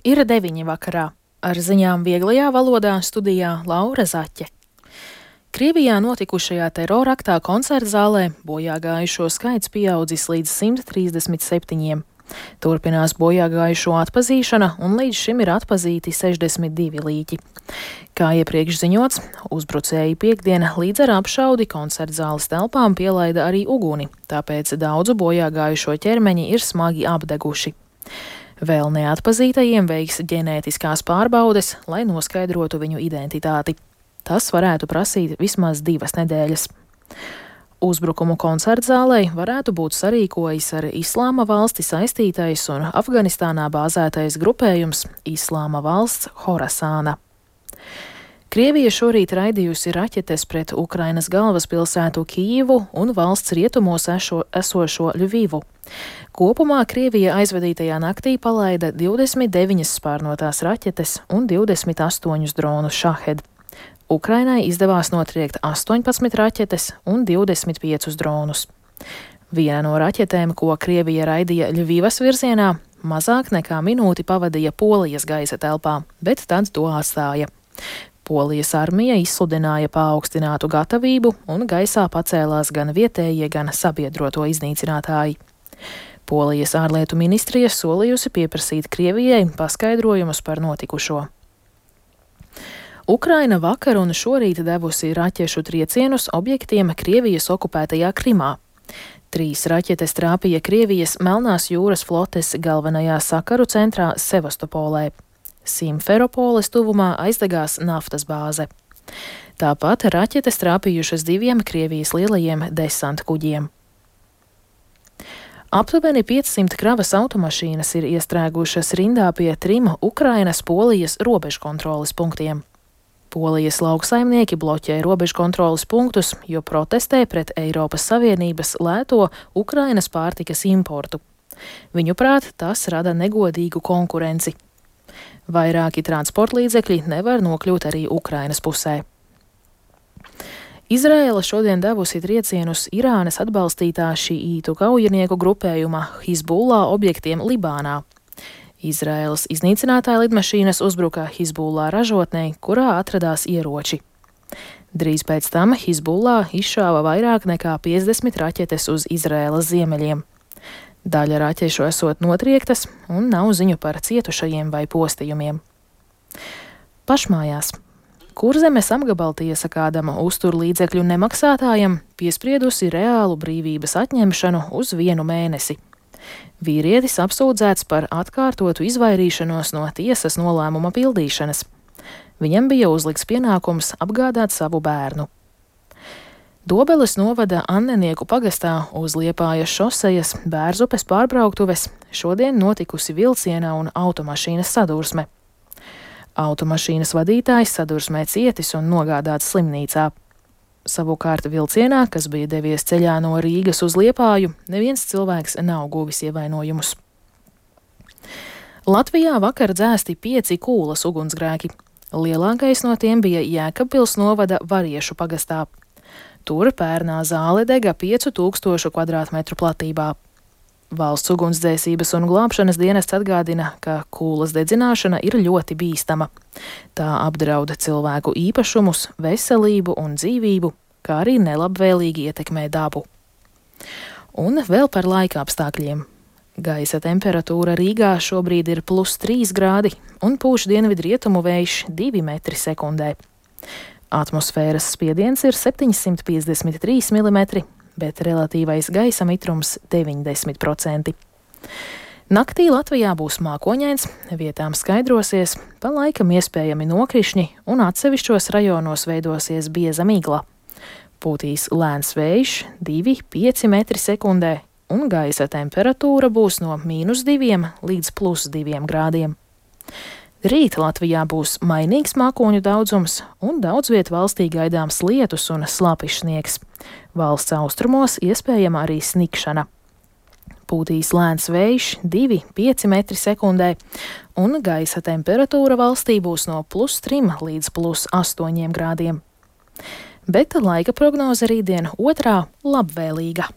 Ir 9 vakarā. Ar ziņām vieglajā valodā studijā Laura Zaķe. Krievijā notikušajā teroraktā koncertzālē bojāgājušo skaits pieaudzis līdz 137. Turpinās bojāgājušo atpazīšana, un līdz šim ir atpazīti 62 līķi. Kā iepriekš ziņots, uzbrucēji piektdien līdz ar apšaudi koncertzāles telpām pielaida arī uguni, tāpēc daudzu bojāgājušo ķermeņi ir smagi apdeguši. Vēl neatpazītajiem veiks ģenētiskās pārbaudes, lai noskaidrotu viņu identitāti. Tas varētu prasīt vismaz 2 nedēļas. Uzbrukumu koncertzālei varētu būt sarīkojis ar Islāma valsti saistītais un Afganistānā bāzētais grupējums Islāma valsts Horasāna. Krievija šorīt raidījusi raķetes pret Ukrainas galvaspilsētu Kijivu un valsts rietumos esošo Ļuvivu. Kopumā Krievija aizvadītajā naktī palaida 29 spārnotās raķetes un 28 dronus Šahed. Ukrainai izdevās notriekt 18 raķetes un 25 dronus. Viena no raķetēm, ko Krievija raidīja Ļuvivas virzienā, mazāk nekā minūti pavadīja Polijas gaisa telpā, bet tad to atstāja. Polijas armija izsludināja paaugstinātu gatavību un gaisā pacēlās gan vietējie, gan sabiedroto iznīcinātāji. Polijas ārlietu ministrija solījusi pieprasīt Krievijai paskaidrojumus par notikušo. Ukraina vakar un šorīt devusi raķešu triecienus objektiem Krievijas okupētajā Krimā. 3 raķetes trāpīja Krievijas Melnās jūras flotes galvenajā sakaru centrā Sevastopolē. Simferopoles tuvumā aizdegās naftas bāze. Tāpat raķetes trāpījušas 2 Krievijas lielajiem desanta kuģiem. Aptuveni 500 kravas automašīnas ir iestrēgušas rindā pie 3 Ukrainas-Polijas robežkontroles punktiem. Polijas lauksaimnieki bloķē robežkontroles punktus, jo protestē pret Eiropas Savienības lēto Ukrainas pārtikas importu. Viņuprāt, tas rada negodīgu konkurenci. Vairāki transportlīdzekļi nevar nokļūt arī Ukrainas pusē. Izraēla šodien devusi triecienus Irānas atbalstītā šiītu kaujinieku grupējuma Hizbullah objektiem Libānā. Izraēlas iznīcinātāja lidmašīnas uzbruka Hizbullah ražotnei, kurā atradās ieroči. Drīz pēc tam Hizbullah izšāva vairāk nekā 50 raķetes uz Izraēlas ziemeļiem. Daļa raķešu esot notriektas, un nav ziņu par cietušajiem vai postījumiem. Pašmājās. Kurzemes apgabaltiesa kādam uzturlīdzekļu nemaksātājam piespriedusi reālu brīvības atņemšanu uz 1 mēnesi. Vīrietis apsūdzēts par atkārtotu izvairīšanos no tiesas nolēmuma pildīšanas. Viņam bija uzlikts pienākums apgādāt savu bērnu. Dobeles novada Annenieku pagastā uz Liepājas šosejas Bērzupes pārbrauktuves šodien notikusi vilciena un automašīnas sadursme. Automašīnas vadītājs sadursmē cietis un nogādāts slimnīcā. Savukārt vilcienā, kas bija devies ceļā no Rīgas uz Liepāju, neviens cilvēks nav guvis ievainojumus. Latvijā vakar dzēsti 5 kūlas ugunsgrēki. Lielākais no tiem bija Jēkabpils novada Variešu pagastā. Tur pērnā zāle dega 5000 kvadrātmetru platībā. Valsts ugunsdzēsības un glābšanas dienests atgādina, ka kūlas dedzināšana ir ļoti bīstama. Tā apdrauda cilvēku īpašumus, veselību un dzīvību, kā arī nelabvēlīgi ietekmē dabu. Un vēl par laika apstākļiem. Gaisa temperatūra Rīgā šobrīd ir +3 grādi un pūš dienvidrietumu vējš 2 metri sekundē. Atmosfēras spiediens ir 753 mm, bet relatīvais gaisa mitrums 90%. Naktī Latvijā būs mākoņains, vietām skaidrosies, pa laikam iespējami nokrišņi un atsevišķos rajonos veidosies bieza migla. Pūtīs lēns vējš 2–5 metri sekundē un gaisa temperatūra būs no -2 līdz +2 grādiem. Rīt Latvijā būs mainīgs mākoņu daudzums un daudz viet valstī gaidāms lietus un slapjš sniegs. Valsts austrumos iespējama arī snikšana. Pūtīs lēns vējš 2–5 metri sekundē un gaisa temperatūra valstī būs no +3 līdz +8 grādiem. Bet laika prognoze rītdien otrā labvēlīga.